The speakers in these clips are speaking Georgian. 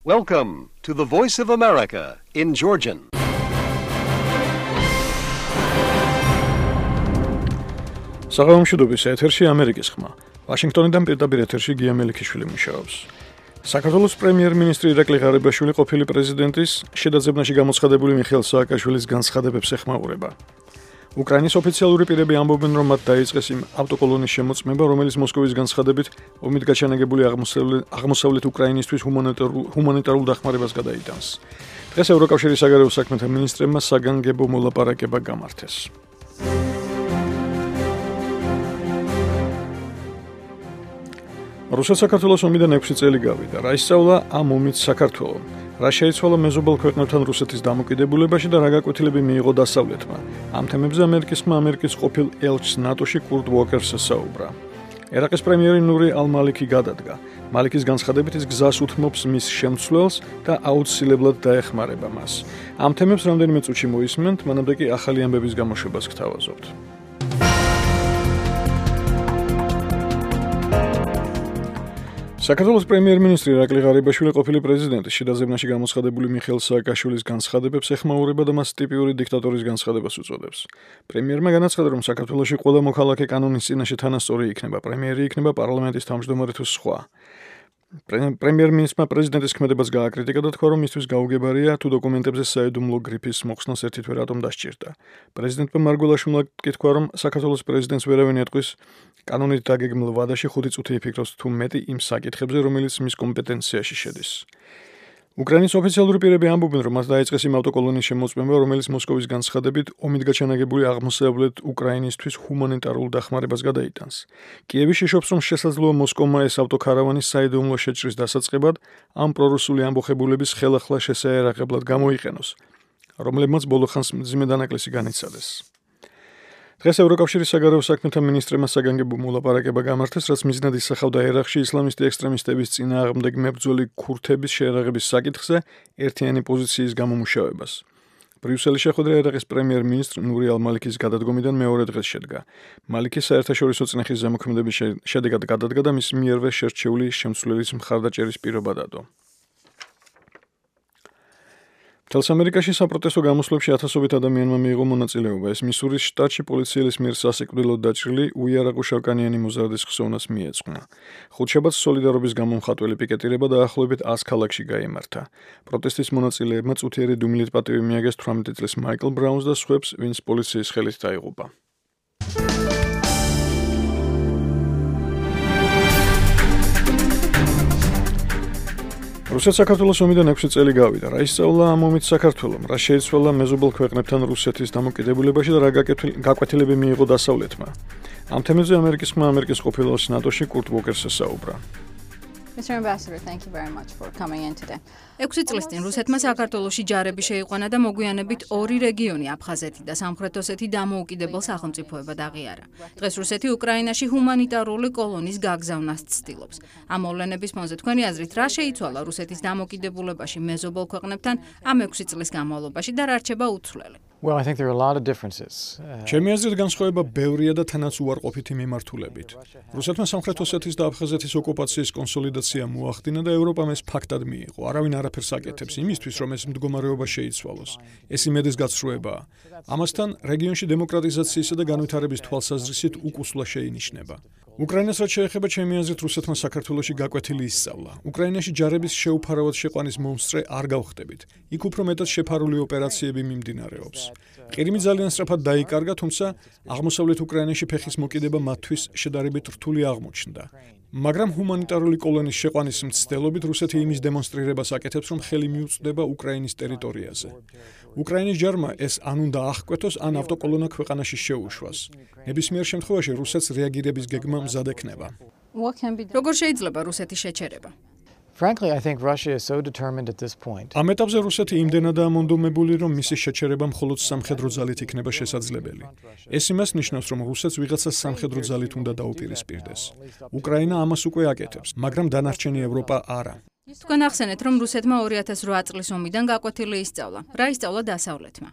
Welcome to the Voice of America in Georgian. საღამომშვიდობის ეთერში ამერიკის ხმა. ვაშინგტონიდან პირდაპირ ეთერში გია მელიქიშვილი მუშაობს. საქართველოს პრემიერ-მინისტრი ირაკლი ღარიბაშვილი ყოფილი პრეზიდენტის შედაძებნაში გამოცხადებული მიხეილ სააკაშვილის განცხადებებს ეხმაურება. უკრაინის ოფიციალური პირები ამბობენ, რომ მათ დაიწყეს იმ ავტოკოლონის შემოწმება, რომელიც მოსკოვის განცხადებით ომით გაჩანაგებული აღმოსავლეთ უკრაინისთვის ჰუმანიტარულ დახმარებას გადაიტანს. დღეს ევროკავშირის საგარეო საქმეთა მინისტრებმა საგანგებო მოლაპარაკება გამართეს. რუსეთ-საქართველოს ომიდან 6 წელი გავიდა. რა ისწავლა ამ ომით საქართველომ? რა შეიცვალა მეზობელ ქვეყნებთან რუსეთის დამოკიდებულებაში და რა გაკვეთილები მიიღო დასავლეთმა? ამ თემებზე ამერიკის ყოფილ ელჩს ნატოში კურტ უოკერს საუბრა. ერაყის პრემიერი ნური ალ-მალიქი გადადგა. მალიკის განცხადებით ის გზას უთმობს მის შემცვლელს და აუცილებლად დაეხმარება მას. ამ თემებს რამდენიმე წუთში მოისმენთ, მანამდე კი ახალი ამბების გამოშვებას გთავაზობთ. საქართველოს პრემიერ-მინისტრი ირაკლი ღარიბაშვილი ყოფილი პრეზიდენტის შედაძებნაში გამოცხადებული მიხეილ სააკაშვილის განცხადებებს ეხმაურება და მას ტიპიური დიქტატორის განცხადებას უწოდებს. პრემიერმა განაცხადა, რომ საქართველოში ყველა მოქალაქე კანონის წინაშე თანასწორი იქნება, პრემიერი იქნება პარლამენტის თავმჯდომარე თუ სხვა. პრემიერ-მინისტრმა პრეზიდენტის ქმედებას გააკრიტიკა და თქვა, რომ მისთვის გაუგებარია თუ დოკუმენტებზე საიდუმლო გრიფის მოხსნას ერთით რატომ დასჭირდა. პრეზიდენტმა მარგველაშვილმა კი თქვა, რომ საქართველოს პრეზიდენტს ვერავინ ეტყვის კანონით დაგეგმილ ვადაში 5 წუთი იფიქროს თუ მეტი იმ საკითხებზე, რომელიც მის კომპეტენციაში შედის. უკრაინის ოფიციალური პირები ამბობენ, რომ მას დაიწყეს იმ ავტოკოლონის შემოწმება, რომელიც მოსკოვის განცხადებით ომით გაჩანაგებული აღმოსავლეთ უკრაინისთვის ჰუმანიტარულ დახმარებას გადაიტანს. კიევი შიშობს, რომ შესაძლოა მოსკოვმა ეს ავტოქარავანი საიდუმლო შეჭრის დასაწყებად ამ პრორუსული ამბოხებულების ხელახლა შესაერაღებლად გამოიყენოს, რომლებმაც ბოლო ხანს მძიმე დანაკლისი განიცადეს. დღეს ევროკავშირის საგარეო საქმეთა მინისტრებმა საგანგებო მოლაპარაკება გამართეს, რაც მიზნად ისახავდა ერაყში ისლამისტი ექსტრემისტების წინააღმდეგ მებრძოლი ქურთების შეერაღების საკითხზე ერთიანი პოზიციის გამომუშავებას. ბრიუსელის შეხვედრა ერაყის პრემიერ-მინისტრ ნური ალ-მალიქის გადადგომიდან მეორე დღეს შედგა. მალიქი საერთაშორისო წნეხის ზემოქმედების შედეგად გადადგა და მის მიერვე შერჩეული შემცვლელის მხარდაჭერის პირობა დადო. მთელს ამერიკაში საპროტესტო გამოსვლებში ათასობით ადამიანმა მიიღო მონაწილეობა. ეს მისურის შტატში პოლიციის მიერ სასიკვდილოდ დაჭრილი უიარაღო-შავკანიანი მოზარდის ხსოვნას მიეძღვნა. ხუთშაბათს სოლიდარობის გამომხატველი პიკეტირება დაახლოებით 100 ქალაქში გაიმართა. პროტესტის მონაწილეებმა წუთიერი დუმილით პატივი მიაგეს 18 წლის მაიკლ ბრაუნს და სხვებს, ვინც პოლიციის ხელით დაიღუპა. რუსეთ-საქართველოს ომიდან 6 წელი გავიდა. რა ისწავლა ამ ომით საქართველომ? რა შეიცვალა მეზობელ ქვეყნებთან რუსეთის დამოკიდებულებაში და რა გაკვეთილები მიიღო დასავლეთმა? ამ თემებზე ამერიკის ყოფილ ელჩს ნატოში კურტ უოკერს საუბრა. Mr. Ambassador, thank you very much for coming in today. 6 წლის წინ რუსეთმა საქართველოში ჯარები შეიყვანა და მოგვიანებით ორი რეგიონი აფხაზეთი და სამხრეთ ოსეთი დამოუკიდებელ სახელმწიფოებად აღიარა. დღეს რუსეთი უკრაინაში ჰუმანიტარული კოლონის გაგზავნას ცდილობს. ამ მოვლენების ფონზე თქვენი აზრით რა შეიცვალა რუსეთის დამოკიდებულებაში მეზობელ ქვეყნებთან ამ 6 წლის განმავლობაში და რა რჩება უცვლელი? Well, I think there are a lot of differences. ჩემი აზრით განსხვავება ბევრია და თანაც უარყოფითი მიმართულებით. რუსეთმა სამხრეთ ოსეთის და აფხაზეთის ოკუპაციის კონსოლიდაცია მოახდინა და ევროპამ ეს ფაქტად მიიღო. არავინ არაფერს აკეთებს იმისთვის, რომ ეს მდგომარეობა შეიცვალოს. ეს იმედის გაცრუებაა. ამასთან რეგიონში დემოკრატიზაციისა და განვითარების თვალსაზრისით უკუსვლა შეინიშნება. უკრაინას რაც შეეხება, ჩემი აზრით რუსეთმა საქართველოში გაკვეთილი ისწავლა. უკრაინაში ჯარების შეუფარავად შეყვანის მომსწრე არ გავხდებით. იქ უფრო მეტად შეფარული ოპერაციები მიმდინარეობს. ყირიმი ძალიან სწრაფად დაიკარგა, თუმცა აღმოსავლეთ უკრაინაში ფეხის მოკიდება მათთვის შედარებით რთული აღმოჩნდა. მაგრამ ჰუმანიტარული კოლონის შეყვანის მცდელობით რუსეთი იმის დემონსტრირებას აკეთებს, რომ ხელი მიუწვდება უკრაინის ტერიტორიაზე. უკრაინის ჯარმა ეს ან უნდა აღკვეთოს, ან ავტოკოლონა ქვეყანაში შეუშვას. ნებისმიერ შემთხვევაში რუსეთს რეაგირების გეგმა მზად ექნება. როგორ შეიძლება რუსეთის შეჩერება? Frankly, I think Russia is so determined at this point. ამ ეტაპზე რუსეთი იმდენადაა მონდომებული, რომ მისი შეჩერება მხოლოდ სამხედრო ძალით იქნება შესაძლებელი. ეს იმას ნიშნავს, რომ რუსეთს ვიღაცას სამხედრო ძალით უნდა დაუპირისპირდეს. უკრაინა ამას უკვე აკეთებს, მაგრამ დანარჩენი ევროპა არა. თქვენ ახსენეთ, რომ რუსეთმა 2008 წლის ომიდან გაკვეთილი ისწავლა. რა ისწავლა დასავლეთმა?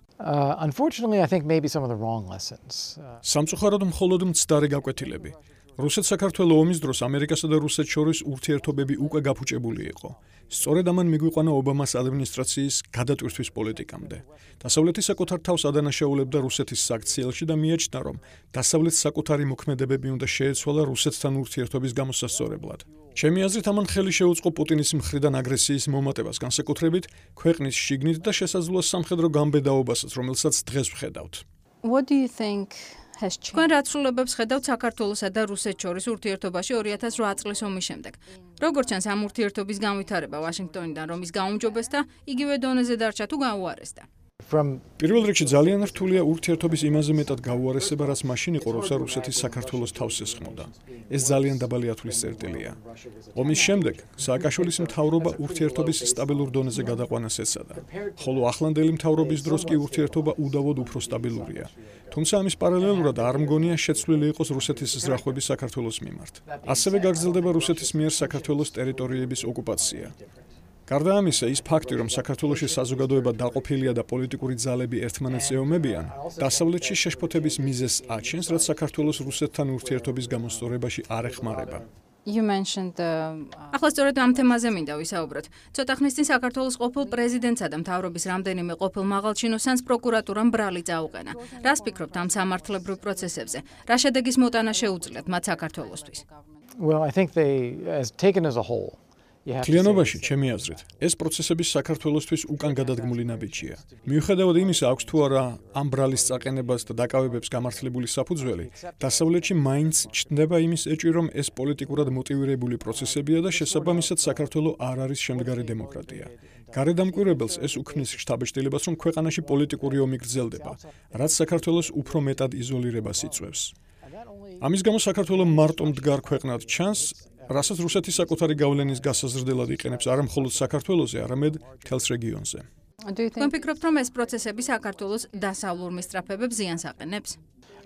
Unfortunately, I think maybe some of the wrong lessons. სამწუხაროდ მხოლოდ მცდარი გაკვეთილები. რუსეთ-საქართველოს ომის დროს ამერიკასა და რუსეთს შორის ურთიერთობები უკვე გაფუჭებული იყო. სწორედ ამან მიგვიყვანა ობამას ადმინისტრაციის გადატვირთვის პოლიტიკამდე. დასავლეთი საკუთარ თავს ადანაშაულებდა რუსეთის საქციელში და მიაჩნდა, რომ დასავლეთს საკუთარი მოქმედებები უნდა შეეცვალა რუსეთთან ურთიერთობის გამოსასწორებლად. ჩემი აზრით, ამან ხელი შეუწყო პუტინის მხრიდან აგრესიის მომატებას, განსაკუთრებით ქვეყნის შიგნით და შესაძლოა სამხედრო გამბედაობასაც, რომელსაც დღეს ვხედავთ. What do you think has changed? თქვენ რა ცვლილებებს ხედავთ საქართველოსა და რუსეთს შორის ურთიერთობაში 2008 წლის ომის შემდეგ? როგორც ჩანს, ამ ურთიერთობის განვითარება ვაშინგტონიდან რომის გაუმჯობეს და იგივე დონეზე დარჩა თუ გაუარესდა? პირველ რიგში ძალიან რთულია ურთიერთობის იმაზე მეტად გაუარესება, რაც მაშინ იყო, როცა რუსეთის საქართველოს თავს ესხმოდა. ეს ძალიან დაბალი ათვლის წერტილია. ომის შემდეგ სააკაშვილის მთავრობა ურთიერთობის სტაბილურ დონეზე გადაყვანას ეცადა, ხოლო ახლანდელი მთავრობის დროს კი ურთიერთობა უდავოდ უფრო სტაბილურია. თუმცა ამის პარალელურად არ მგონია შეცვლილი იყოს რუსეთის ზრახვები საქართველოს მიმართ. ასევე გაგრძელდება რუსეთის მიერ საქართველოს ტერიტორიების ოკუპაცია. გარდა ამისა, ის ფაქტი, რომ საქართველოში საზოგადოება დაყოფილია და პოლიტიკური ძალები ერთმანეთს ეომებიან, დასავლეთში შეშფოთების მიზეზს აჩენს, რაც საქართველოს რუსეთთან ურთიერთობის გამოსწორებაში არ ეხმარება. You mentioned the ახლა სწორედ ამ თემაზე მინდა ვისაუბროთ. ცოტა ხნის წინ საქართველოს ყოფილ პრეზიდენტსა და მთავრობის რამდენიმე ყოფილ მაღალჩინოსანს პროკურატურამ ბრალი წაუყენა. რას ფიქრობთ ამ სამართლებრივ პროცესებზე? რა შედეგის მოტანა შეუძლიათ მათ საქართველოსთვის? Well, I think they, as taken as a whole, Თლიანობაში, ჩემი აზრით, ეს პროცესები საქართველოსთვის უკან გადადგმული ნაბიჯია. მიუხედავად იმისა, აქვს თუ არა ამ ბრალის წაყენებას და დაკავებებს გამართლებული საფუძველი, დასავლეთში მაინც ჩნდება იმის ეჭვი, რომ ეს პოლიტიკურად მოტივირებული პროცესებია და შესაბამისად საქართველო არ არის შემდგარი დემოკრატია. გარედამკვირვებელს ეს უქმნის შთაბეჭდილებას, რომ ქვეყანაში პოლიტიკური ომი გრძელდება, რაც საქართველოს უფრო მეტად იზოლირებას იწვევს. ამის გამო საქართველო მარტო მდგარ ქვეყნად ჩანს, რასაც რუსეთი საკუთარი გავლენის გასაზრდელად იყენებს არა მხოლოდ საქართველოზე, არამედ მთელს რეგიონზე. Do you თქვენ think ფიქრობთ, რომ ეს პროცესები საქართველოს დასავლურ მისწრაფებებს ზიანს აყენებს?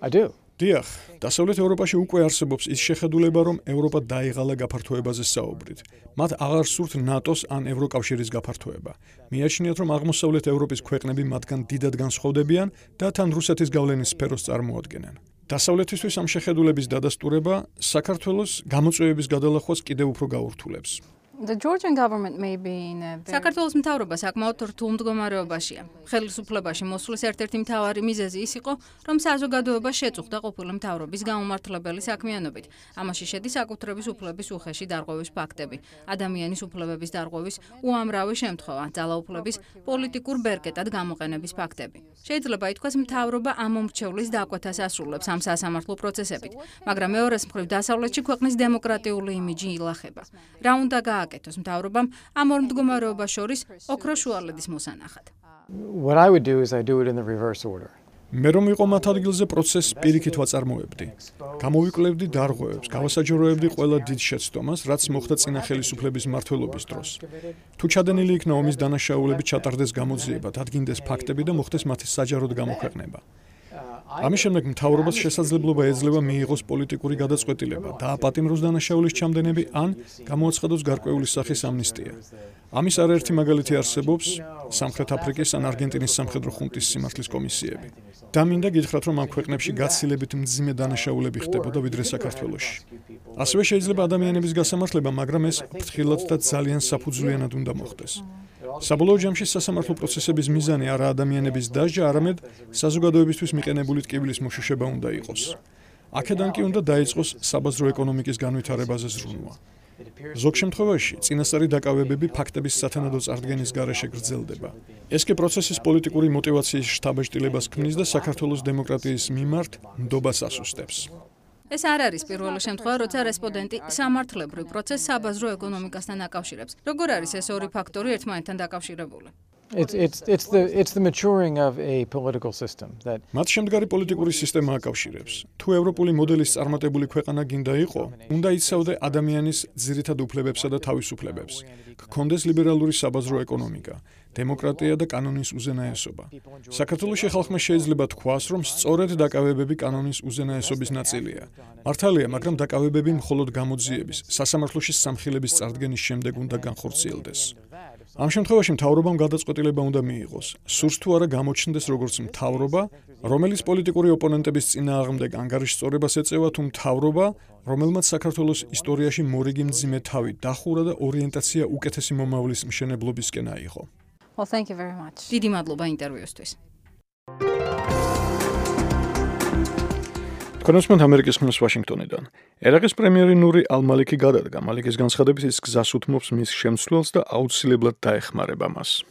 I do. დიახ, დასავლეთ ევროპაში უკვე არსებობს ის შეხედულება, რომ ევროპა დაიღალა გაფართოებაზე საუბრით. მათ აღარ სურთ ნატოს ან ევროკავშირის გაფართოება. მიაჩნიათ, რომ აღმოსავლეთ ევროპის ქვეყნები მათგან დიდად განსხვავდებიან და თან რუსეთის გავლენის სფეროს წარმოადგენენ. დასავლეთისთვის ამ შეხედულების დადასტურება საქართველოს გამოწვევების გადალახვას კიდევ უფრო გაურთულებს. the Georgian government may be in a very საქართველოს მთავრობა საკმაოდ რთულ მდგომარეობაშია. ხელისუფლებაში მოსვლის ერთ-ერთი მთავარი მიზეზი ის იყო, რომ საზოგადოება შეწუხდა ყოფილი მთავრობის გაუმართლებელი საქმიანობით. ამაში შედის საკუთრების უფლების უხეში დარღვევის ფაქტები, ადამიანის უფლებების დარღვევის უამრავი შემთხვევა, ძალაუფლების პოლიტიკურ ბერკეტად გამოყენების ფაქტები. შეიძლება ითქვას, მთავრობა ამ მომრჩევლის დაკვეთას ასრულებს ამ სასამართლო პროცესებით, მაგრამ მეორეს მხრივ დასავლეთში ქვეყნის დემოკრატიული იმიჯი ილახება. რა უნდა გააკეთოს მთავრობამ ამ ორ მდგომარეობას შორის ოქროს შუალედის მოსანახად? What I would do is I do it in the reverse order. მე რომ იყო მათ ადგილზე პროცესს პირიქით ვაწარმოებდი. გამოვიკლევდი დარღვევებს, გავასაჯაროებდი ყველა დიდ შეცდომას, რაც მოხდა წინა ხელისუფლების მმართველობის დროს. თუ ჩადენილი იქნა ომის დანაშაულები ჩატარდეს გამოძიება, დადგინდეს ფაქტები და მოხდეს მათი საჯაროდ გამოქვეყნება. ამის შემდეგ მთავრობას შესაძლებლობა ეძლევა მიიღოს პოლიტიკური გადაწყვეტილება, დააპატიმროს დანაშაულის ჩამდენები ან გამოაცხადოს გარკვეული სახის ამნისტია. ამის არაერთი მაგალითი არსებობს სამხრეთ აფრიკის ან არგენტინის სამხედრო ხუნტის სიმართლის კომისიები. და მინდა გითხრათ, რომ ამ ქვეყნებში გაცილებით მძიმე დანაშაულები ხდებოდა ვიდრე საქართველოში. ასევე შეიძლება ადამიანების გასამართლება, მაგრამ ეს ფრთხილად და ძალიან საფუძვლიანად უნდა მოხდეს. საბოლოო ჯამში სასამართლო პროცესების მიზანი არა ადამიანების დასჯა, არამედ საზოგადოებისთვის მიყენებული ტკივილის მოშუშება უნდა იყოს. აქედან კი უნდა დაიწყოს საბაზრო ეკონომიკის განვითარებაზე ზრუნვა. ზოგ შემთხვევაში წინასწარი დაკავებები ფაქტების სათანადო წარდგენის გარეშე გრძელდება. ეს კი პროცესის პოლიტიკური მოტივაციის შთაბეჭდილებას ქმნის და საქართველოს დემოკრატიის მიმართ ნდობას ასუსტებს. ეს არ არის პირველი შემთხვევა, როცა რესპონდენტი სამართლებრივ პროცესს საბაზრო ეკონომიკასთან აკავშირებს. როგორ არის ეს ორი ფაქტორი ერთმანეთთან დაკავშირებული? It's the maturing of a political system that მათ შემდგარი პოლიტიკური სისტემა აკავშირებს. თუ ევროპული მოდელის წარმატებული ქვეყანა გინდა იყო, უნდა იცავდე ადამიანის ძირითად უფლებებსა და თავისუფლებებს. გქონდეს ლიბერალური საბაზრო ეკონომიკა, დემოკრატია და კანონის უზენაესობა. საქართველოში ხალხმა შეიძლება თქვას, რომ სწორედ დაკავებები კანონის უზენაესობის ნაწილია. მართალია, მაგრამ დაკავებები მხოლოდ გამოძიების, სასამართლოში სამხილების წარდგენის შემდეგ უნდა განხორციელდეს. ამ შემთხვევაში მთავრობამ გადაწყვეტილება უნდა მიიღოს. სურს თუ არა გამოჩნდეს როგორც მთავრობა, რომელიც პოლიტიკური ოპონენტების წინააღმდეგ ანგარიშსწორებას ეწევა, თუ მთავრობა, რომელმაც საქართველოს ისტორიაში მორიგი მძიმე თავი დახურა და ორიენტაცია უკეთესი მომავლის მშენებლობისკენ აიღო. Well, thank you very much. დიდი მადლობა ინტერვიუსთვის. კონსმენტ ამერიკის ხმის ვაშინგტონიდან. ერაყის პრემიერი ნური ალ-მალიკი გადადგა. მალიკის განცხადებით ის გზას უთმობს მის შემცვლელს და აუცილებლად დაეხმარება მას.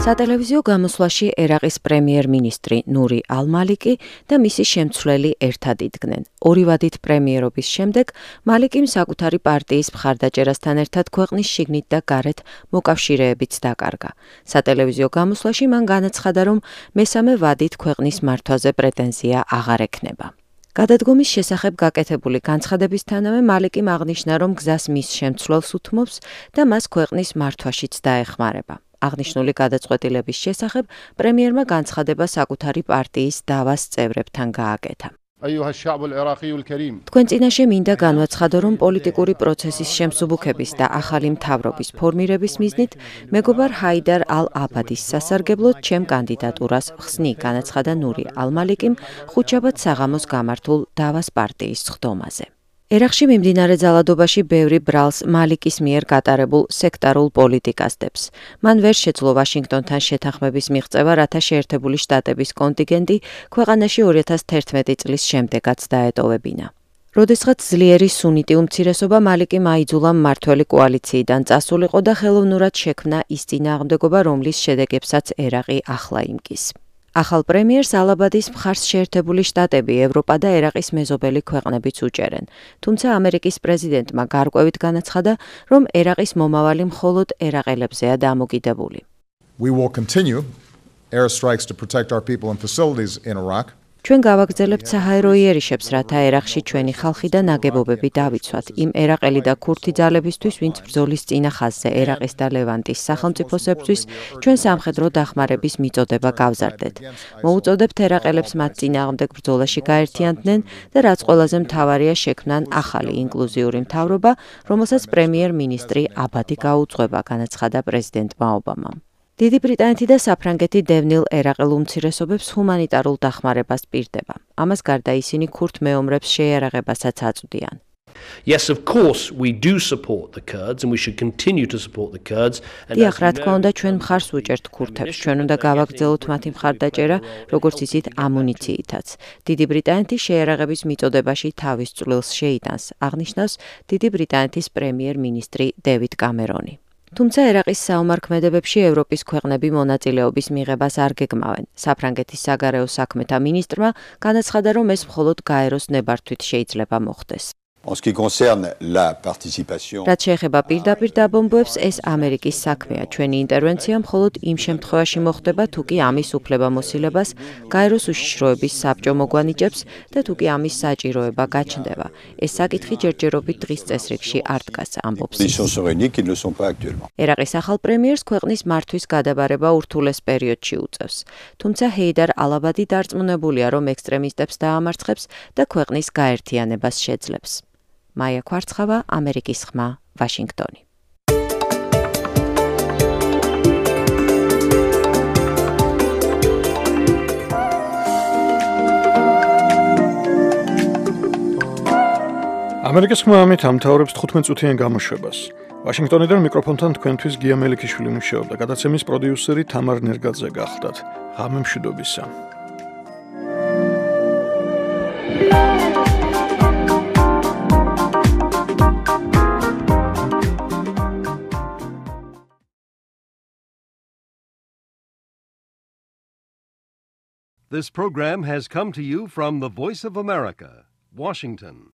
სატელევიზიო გამოსვლაში ერაყის პრემიერ-მინისტრი ნური ალ-მალიკი და მისი შემცვლელი ერთად იდგნენ. ორი ვადით პრემიერობის შემდეგ მალიკიმ საკუთარი პარტიის მხარდაჭერასთან ერთად ქვეყნის შიგნით და გარეთ მოკავშირეებიც დაკარგა. სატელევიზიო გამოსვლაში მან განაცხადა, რომ მესამე ვადით ქვეყნის მართვაზე პრეტენზია აღარ ექნება. გადადგომის შესახებ გაკეთებული განცხადებისთანავე მალიკიმ აღნიშნა, რომ გზას მის შემცვლელს უთმობს და მას ქვეყნის მართვაშიც დაეხმარება. აღნიშნული გადაწყვეტილების შესახებ პრემიერმა განცხადება საკუთარი პარტიის დავას წევრებთან გააკეთა. თქვენ წინაშე მინდა განვაცხადო, რომ პოლიტიკური პროცესის შემსუბუქების და ახალი მთავრობის ფორმირების მიზნით მეგობარ ჰაიდარ ალ-აბადის სასარგებლოდ ჩემ კანდიდატურას ხსნი, განაცხადა ნური ალ-მალიკიმ ხუთშაბათ საღამოს გამართულ დავას პარტიის სხდომაზე. ერაყში მიმდინარე ძალადობაში ბევრი ბრალს მალიკის მიერ გატარებულ სექტარულ პოლიტიკას დებს. მან ვერ შეძლო ვაშინგტონთან შეთანხმების მიღწევა, რათა შეერთებული შტატების კონტინგენტი ქვეყანაში 2011 წლის შემდეგაც დაეტოვებინა. როდესღაც ძლიერი სუნიტი უმცირესობა მალიკიმ აიძულა მმართველი კოალიციიდან წასულიყო და ხელოვნურად შექმნა ის წინააღმდეგობა, რომლის შედეგებსაც ერაყი ახლა იმკის. ახალ პრემიერს ალ-აბადის მხარს შეერთებული შტატები, ევროპა და ერაყის მეზობელი ქვეყნებიც უჭერენ. თუმცა ამერიკის პრეზიდენტმა გარკვევით განაცხადა, რომ ერაყის მომავალი მხოლოდ ერაყელებზეა დამოკიდებული. We will continue airstrikes to protect our people and facilities in Iraq. ჩვენ გავაგრძელებთ საჰაერო იერიშებს, რათა ერაყში ჩვენი ხალხი და ნაგებობები დავიცვათ იმ ერაყელი და ქურთი ძალებისთვის, ვინც ბრძოლის წინა ხაზზე ერაყის და ლევანტის სახელმწიფოსებისთვის ჩვენ სამხედრო დახმარების მიწოდება გავზარდეთ. მოუწოდებთ ერაყელებს მათ წინააღმდეგ ბრძოლაში გაერთიანდნენ და რაც ყველაზე მთავარია შექმნან ახალი ინკლუზიური მთავრობა, რომელსაც პრემიერ-მინისტრი აბადი გაუძღვება, განაცხადა პრეზიდენტმა ობამამ. დიდი ბრიტანეთი და საფრანგეთი დევნილ ერაყელ უმცირესობებს ჰუმანიტარულ დახმარებას პირდება. ამას გარდა ისინი ქურთ მეომრებს შეიარაღებასაც აწვდიან. Yes, of course, we do support the Kurds and we should continue to support the Kurds. დიახ, რა თქმა უნდა, ჩვენ მხარს ვუჭერთ ქურთებს. ჩვენ უნდა გავაგრძელოთ მათი მხარდაჭერა, როგორც ისიც ამუნიციითაც. დიდი ბრიტანეთი შეიარაღების მიწოდებაში თავის წვლილს შეიტანს, აღნიშნავს დიდი ბრიტანეთის პრემიერ-მინისტრი დევიდ კამერონი. თუმცა ერაყის საომარ ქმედებებში ევროპის ქვეყნები მონაწილეობის მიღებას არ გეგმავენ. საფრანგეთის საგარეო საქმეთა მინისტრმა განაცხადა, რომ ეს მხოლოდ გაეროს ნებართვით შეიძლება მოხდეს. En ce qui concerne la participation. რაც შეეხება პირდაპირ დაბომბვებს, ეს ამერიკის საქმეა. ჩვენი ინტერვენცია მხოლოდ იმ შემთხვევაში მოხდება, თუ კი ამის უფლებამოსილებას გაეროს უშიშროების საბჭო მოგვანიჭებს და თუ კი ამის საჭიროება გაჩნდება. ეს საკითხი ჯერჯერობით დღის წესრიგში არ დგას, ამბობს. ერაყის ახალ პრემიერს ქვეყნის მართვის გადაბარება ურთულეს პერიოდში უწევს. თუმცა ჰეიდარ ალ-აბადი დარწმუნებულია, რომ ექსტრემისტებს დაამარცხებს და ქვეყნის გაერთიანებას შეძლებს. მაია კვარცხავა, ამერიკის ხმა, ვაშინგტონი. ამერიკის ხმა ამით ამთავრებს 15 წუთიან გამოშვებას. ვაშინგტონიდან მიკროფონთან თქვენთვის გია მელიქიშვილი მუშაობდა, გადაცემის პროდიუსერი თამარ ნერგაძე გახდათ. ღამე მშვიდობისა. This program has come to you from the Voice of America, Washington.